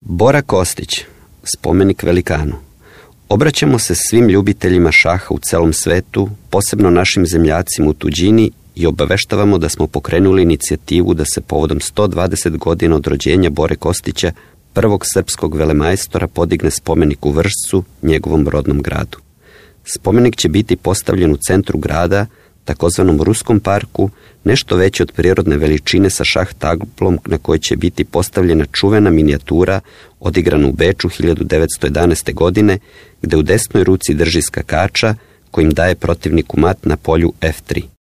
Bora Kostić, spomenik velikanu. Obraćamo se svim ljubiteljima šaha u celom svetu, posebno našim zemljacima u tuđini, i obaveštavamo da smo pokrenuli inicijativu da se povodom 120 godina od rođenja Bore Kostića, prvog srpskog velemajstora, podigne spomenik u Vršcu, njegovom rodnom gradu. Spomenik će biti postavljen u centru grada, takozvanom Ruskom parku, nešto veće od prirodne veličine sa šah tablom na kojoj će biti postavljena čuvena minijatura odigrana u Beču 1911. godine, gde u desnoj ruci drži skakača kojim daje protivniku mat na polju F3.